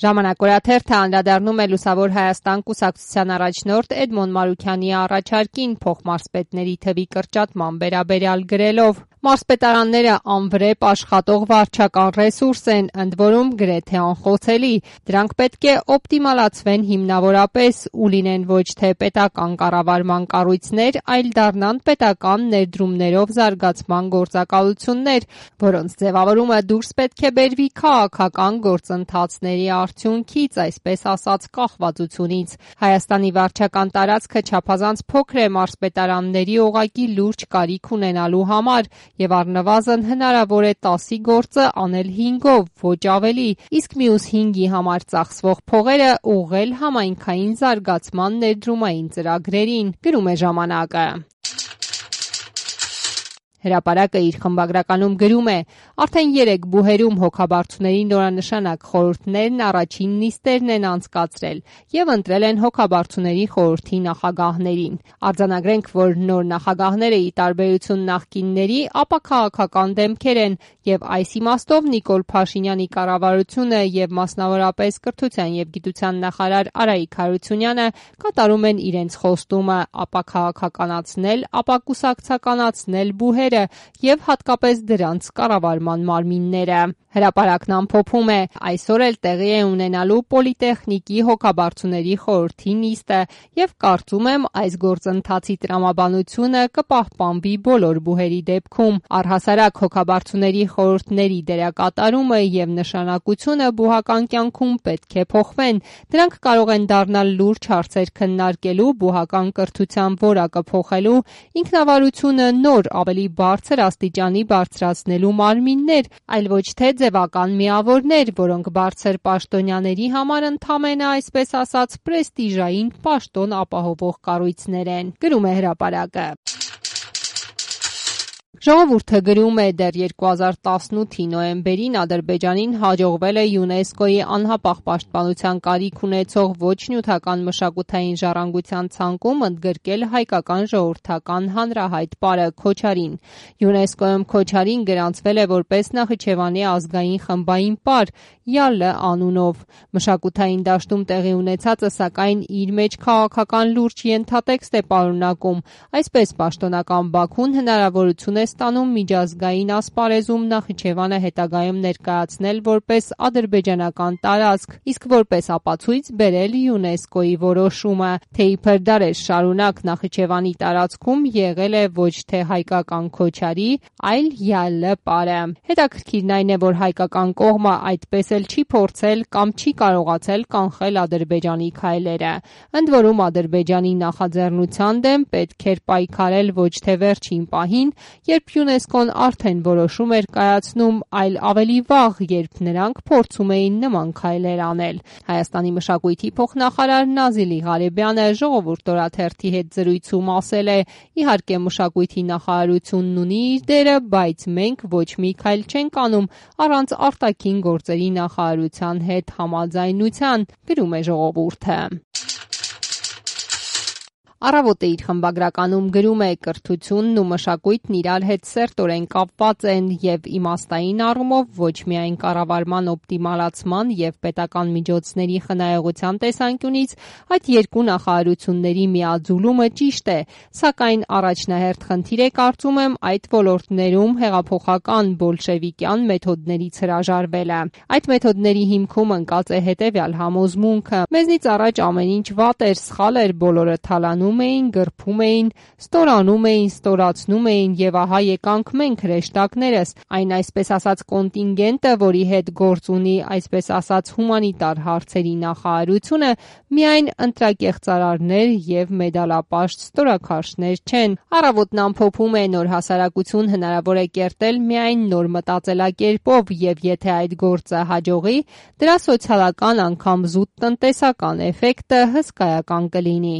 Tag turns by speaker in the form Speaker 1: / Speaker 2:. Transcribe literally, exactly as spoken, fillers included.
Speaker 1: Ժամանակ օրաթերթը անդրադառնում է Լուսավոր Հայաստան կուսակցության առաջնորդ Էդմոն Մարուքյանի առաջարկին փոխմարզպետների թվի կրճատման վերաբերյալ գրելով. Մարզպետարանները անվրեպ աշխատող վարչական ռեսուրս են, ընդ որում գրեթե անխոցելի։ Դրանք պետք է օպտիմալացվեն հիմնավորապես ու լինեն ոչ թե պետական կառավարման կառույցներ, այլ դառնան պետական ներդրումներով զարգացման գործակալություններ, որոնց ձևավորումը դուրս պետք է բերվի քաղաքական գործընթացների արդյունքից, այսպես ասած կախվածությունից։ Հայաստանի վարչական տարածքը չափազանց փոքր է մարզպետարանների օղակի լուրջ կարիք ունենալու համար, եւ առնվազն հնարավոր է տասի գործը անել հինգով, ոչ ավելի, իսկ մյուս հինգի համար ծախսվող փողերը ուղղել համայնքային զարգացման ներդրումային ծրագրերին, գրում է ժամանակը։ Հրապարակը իր խմբագրականում գրում է. արդեն երեք բուհերում հոգաբարձուների նորանշանակ խորհուրդներն առաջին նիստերն են անցկացրել եւ ընտրել են հոգաբարձուների խորհրդի նախագահներին։ Արձանագրենք, որ նոր նախագահները ի տարբերություն նախկինների ապաքաղաքական դեմքեր են եւ այս իմաստով Նիկոլ Փաշինյանի կառավարությունը եւ մասնավորապես կրթության եւ գիտության նախարար Արայիկ Հարությունյանը կատարում են իրենց խոստումը ապաքաղաքականացնել, ապակուսակցականացնել բուհեր եւ հատկապես դրանց կառավարման մարմինները։ Հրապարակն ամփոփում է. այսօր էլ տեղի է ունենալու Պոլիտեխնիկի հոգաբարձուների խորհրդի նիստը եւ կարծում եմ այս գործընթացի տրամաբանությունը կպահպանվի բոլոր բուհերի դեպքում։ Առհասարակ հոգաբարձուների խորհուրդների դերակատարումը եւ նշանակությունը բուհական կյանքում պետք է փոխվեն։ Դրանք կարող են դառնալ լուրջ հարցեր քննարկելու, բուհական կրթության որակը փոխելու, ինքնավարությունը նոր ավելի բարձր աստիճանի բարձրացնելու մարմիններ, այլ ոչ թե ձևական միավորներ, որոնք բարձր պաշտոնյաների համար ընդամենը այսպես ասած պրեստիժային պաշտոն ապահովող կառույցներ են, գրում է հրապարակը։ Ժողովուրդը գրում է. դեռ երկու հազար տասնութի նոյեմբերին Ադրբեջանին հաջողվել է ՅՈՒՆԵՍԿՕ-ի անհապաղ պաշտպանության կարիք ունեցող ոչ նյութական մշակութային ժառանգության ցանկում ընդգրկել հայկական ժողովրդական հանրահայտ պարը Քոչարին։ ՅՈՒՆԵՍԿՕ-ում Քոչարին գրանցվել է որպես Նախիջևանի ազգային խմբային պար ՅԱԼ անունով։ Մշակութային դաշտում տեղի ունեցածը սակայն իր մեջ քաղաքական լուրջ ենթատեքստ է պարունակում։ Այսպես պաշտոնական Բաքուն հնարավորություն է ստանում միջազգային ասպարեզում Նախիջևանը հետագայում ներկայացնել որպես ադրբեջանական տարածք, իսկ որպես ապացույց բերել ՅՈՒՆԵՍԿՕ-ի որոշումը, թե իբր դարեր շարունակ Նախիջևանի տարածքում եղել է ոչ թե հայկական Քոչարի, այլ ՅԱԼ պարը։ Հետաքրքիրն այն է, որ հայկական կողմը այդպես էլ չի փորձել կամ չի կարողացել կանխել Ադրբեջանի քայլերը։ Ընդ որում Ադրբեջանի նախաձեռնության դեմ պետք էր պայքարել ոչ թե վերջին պահին, երբ ՅՈՒՆԵՍԿՕ-ն արդեն որոշում էր կայացնում, այլ ավելի վաղ, երբ նրանք փորձում էին նման քայլեր անել։ Հայաստանի մշակույթի փոխնախարար Նազիլի Ղարեբյանը Ժողովուրդ օրաթերթի հետ զրույցում ասել է. իհարկե մշակույթի նախարարությունն ունի իր դերը, բայց մենք ոչ մի քայլ չենք անում առանց արտաքին գործերի նախարարության հետ համաձայնության, գրում է Ժողովուրդը։ Առավոտը իր խմբագրականում գրում է. կրթությունն ու մշակույթն իրար հետ սերտորեն կապված են եւ իմաստային առումով ոչ միայն կառավարման օպտիմալացման եւ պետական միջոցների խնայողության տեսանկյունից այդ երկու նախարարությունների միաձուլումը ճիշտ է, սակայն առաջնահերթ խնդիր է կարծում եմ այդ ոլորտներում հեղափոխական բոլշևիկյան մեթոդներից հրաժարվելը։ Այդ մեթոդների հիմքում ընկած է հետեւյալ համոզմունքը. մեզնից առաջ ամեն ինչ վատ էր, սխալ էր, բոլորը թալանում էին, գրփում էին, ստորանում էին, ստորացնում էին եւ ահա եկանք մենք հրեշտակներս, այն այսպես ասած կոնտինգենտը, որի հետ գործ ունի այսպես ասած հումանիտար հարցերի նախարարությունը, միայն ընտրակեղծարարներ եւ մեդալապաշտ ստորաքարշներ չեն։ Առավոտն ամփոփում է. նոր հասարակություն հնարավոր է կերտել միայն նոր մտածելակերպով եւ եթե այդ գործը հաջողի, դրա սոցիալական անգամ զուտ տնտեսական էֆեկտը հսկայական կլինի։